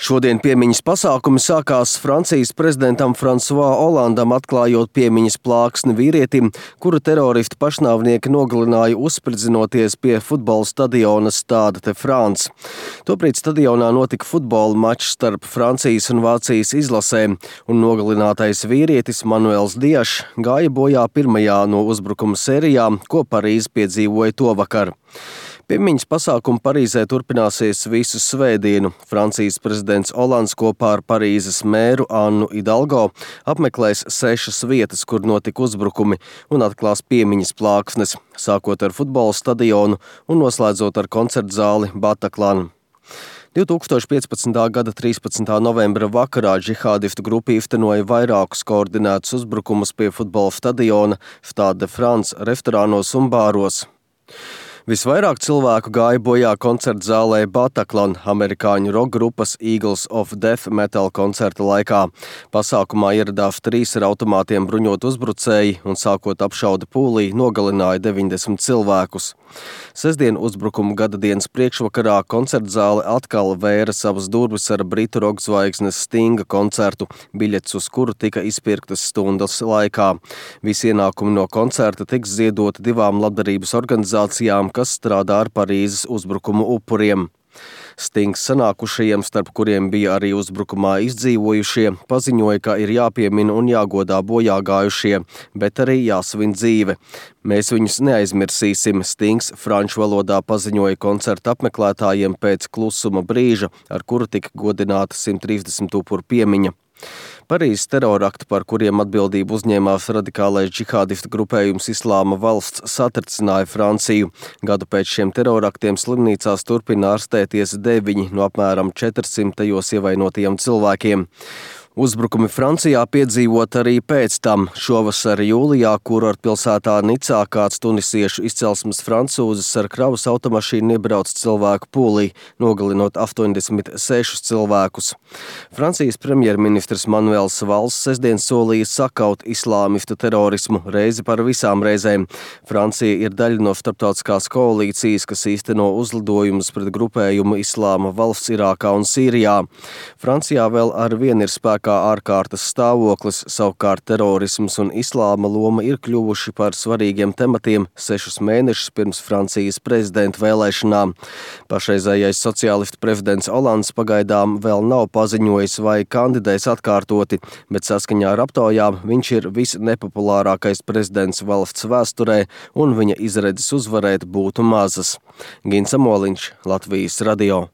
Šodien piemiņas pasākumi sākās Francijas prezidentam François Hollandam, atklājot piemiņas plāksni vīrietim, kuru teroristi pašnāvnieki nogalināja uzspridzinoties pie futbola stadiona Stade de France. Tobrīd stadionā notika futbola mačs starp Francijas un Vācijas izlasēm, un nogalinātais vīrietis Manuels Diašs gāja bojā pirmajā no uzbrukuma sērijām, ko Parīze piedzīvoja tovakar. Piemiņas pasākumi Parīzē turpināsies visu svētdienu. Francijas prezidents Hollands kopā ar Parīzes mēru Annu Hidalgo apmeklēs 6 vietas, kur notika uzbrukumi, un atklās piemiņas plāksnes, sākot ar futbola stadionu un noslēdzot ar koncertzāli Bataclan. 2015. gada 13. novembra vakarā džihādistu grupa īstenoja vairākus koordinētus uzbrukumus pie futbola stadiona, Stade de France, restorānos un bāros. Visvairāk cilvēku gāja bojā koncertzālē Bataclan, amerikāņu rock grupas Eagles of Death Metal koncerta laikā. Pasākumā ieradās 3 ar automātiem bruņot uzbrucēji un sākot apšauda pūlī nogalināja 90 cilvēkus. Sestdien uzbrukumu gadadienas priekšvakarā koncertzāle atkal vēra savas durvis ar britu rock zvaigznes Stinga koncertu, biļetes uz kuru tika izpirktas stundas laikā. Visi ienākumi no koncerta tiks ziedoti 2 labdarības organizācijām, kas strādā ar Parīzes uzbrukumu upuriem. Stings sanākušajiem, starp kuriem bija arī uzbrukumā izdzīvojušie, paziņoja, ka ir jāpiemina un jāgodā bojā gājušie, bet arī jāsvin dzīve. Mēs viņus neaizmirsīsim, Stings franču valodā paziņoja koncerta apmeklētājiem pēc klusuma brīža, ar kuru tika godināta 130 upuru piemiņa. Parīzes terorakti, par kuriem atbildību uzņēmās radikālais džihādistu grupējums Islāma valsts, satricināja Franciju. Gadu pēc šiem teroraktiem slimnīcās turpina ārstēties 9 no apmēram 400 ievainotajiem cilvēkiem. Uzbrukumi Francijā piedzīvot arī pēc tam. Šovasar jūlijā kurortpilsētā Nicā kāds tunisiešu izcelsmes francūzis ar kravas automašīnu iebrauc cilvēku pūlī, nogalinot 86 cilvēkus. Francijas premjerministrs Manuels Valls sestdien solīja sakaut islāmistu terorismu reizi par visām reizēm. Francija ir daļa no starptautiskās koalīcijas, kas īsteno uzlidojumus pret grupējumu Islāma valsts Irākā un Sīrijā. Francijā vēl arvien ir spēkā ārkārtas stāvoklis, savukārt terorisms un islāma loma ir kļuvuši par svarīgiem tematiem 6 mēnešus pirms Francijas prezidenta vēlēšanām. Pašreizējais sociālistu prezidents Hollands pagaidām vēl nav paziņojis vai kandidēs atkārtoti, bet saskaņā ar aptaujām viņš ir visnepopulārākais prezidents valsts vēsturē un viņa izredzes uzvarēt būtu mazas. Gins Amoliņš, Latvijas radio.